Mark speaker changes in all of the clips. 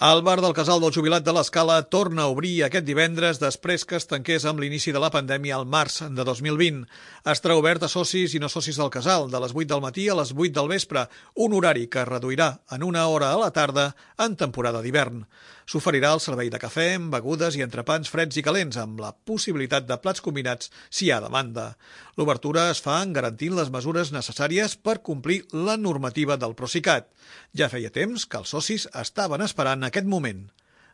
Speaker 1: El bar del Casal del Jubilat de l'Escala torna a obrir aquest divendres després que es tanqués amb l'inici de la pandèmia al març de 2020. Estarà obert a socis i no socis del casal, de les 8 del matí a les 8 del vespre, un horari que es reduirà en una hora a la tarda en temporada d'hivern. S'oferirà el servei de cafè, begudes i entrepans freds i calents, amb la possibilitat de plats combinats si hi ha demanda. L'obertura es fa garantint les mesures necessàries per complir la normativa del Procicat. Ja feia temps que els socis estaven esperant aquest moment.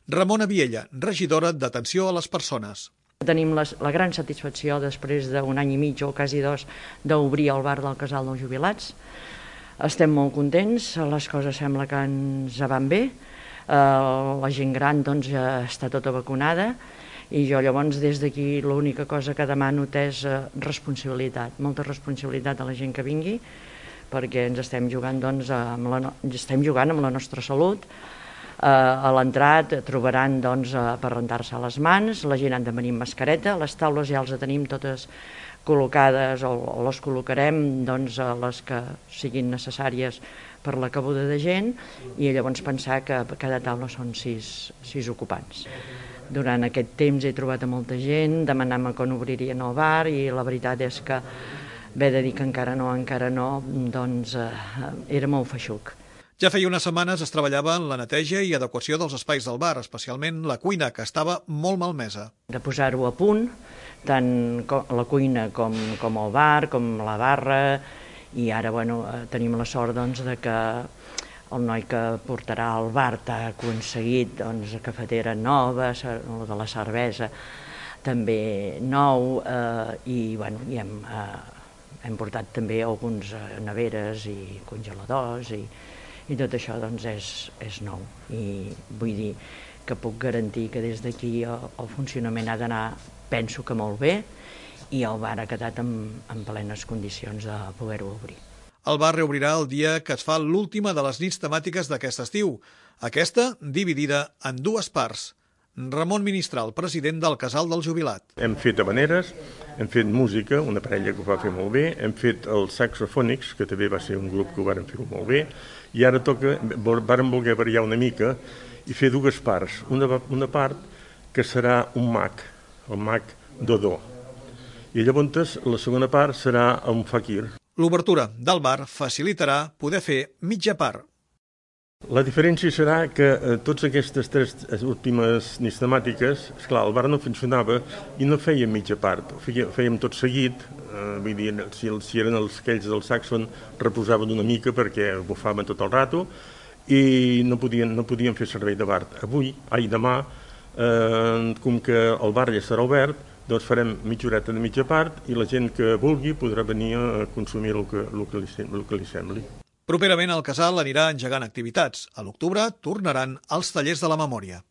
Speaker 1: Ramona Viella, regidora d'Atenció a les Persones.
Speaker 2: Tenim la gran satisfacció, després d'un any i mig o quasi dos, d'obrir el bar del Casal dels Jubilats. Estem molt contents, les coses sembla que ens van bé. La gent gran ja està tota vacunada i jo llavors des d'aquí l'única cosa que demano és responsabilitat, molta responsabilitat a la gent que vingui, perquè ens estem jugant amb la nostra salut. A l'entrat trobaran per rentar-se les mans, la gent ha de venir amb mascareta, les taules ja les tenim totes col·locades o les col·locarem les que siguin necessàries per la cabuda de gent i llavors pensar que a cada taula són sis ocupants. Durant aquest temps he trobat a molta gent, demanant-me quan obririen el bar i la veritat és que haver de dir que encara no, era molt feixuc.
Speaker 1: Ja feia unes setmanes es treballava en la neteja i adequació dels espais del bar, especialment la cuina, que estava molt malmesa.
Speaker 2: De posar-ho a punt, tant la cuina com el bar, com la barra, i ara tenim la sort de que el noi que portarà al bar ha aconseguit cafetera nova, el de la cervesa també nou, i hem portat també alguns neveres i congeladors i tot això és nou. I vull dir que puc garantir que des d'aquí el funcionament ha d'anar, penso que molt bé, i el bar ha quedat en plenes condicions de poder-ho obrir.
Speaker 1: El bar reobrirà el dia que es fa l'última de les nits temàtiques d'aquest estiu, aquesta dividida en dues parts. Ramon Ministral, president del Casal del Jubilat.
Speaker 3: Hem fet habaneres, hem fet música, una parella que ho va fer molt bé, hem fet els saxofònics, que també va ser un grup que ho van fer molt bé, i ara vàrem voler variar una mica i fer dues parts. Una part que serà un mag, el mag Dodó, i llavors la segona part serà un fakir.
Speaker 1: L'obertura del bar facilitarà poder fer mitja part.
Speaker 3: La diferència serà que totes aquestes tres últimes nits temàtiques, esclar, el bar no funcionava i no fèiem mitja part, fèiem tot seguit, vull dir, si eren aquells del Saxon reposaven una mica perquè bufaven tot el rato i no podien fer servei de bar. Demà, com que el bar ja estarà obert, doncs farem mitja horeta de mitja part i la gent que vulgui podrà venir a consumir el que li sembli.
Speaker 1: Properament el casal anirà engegant activitats. A l'octubre tornaran els tallers de la memòria.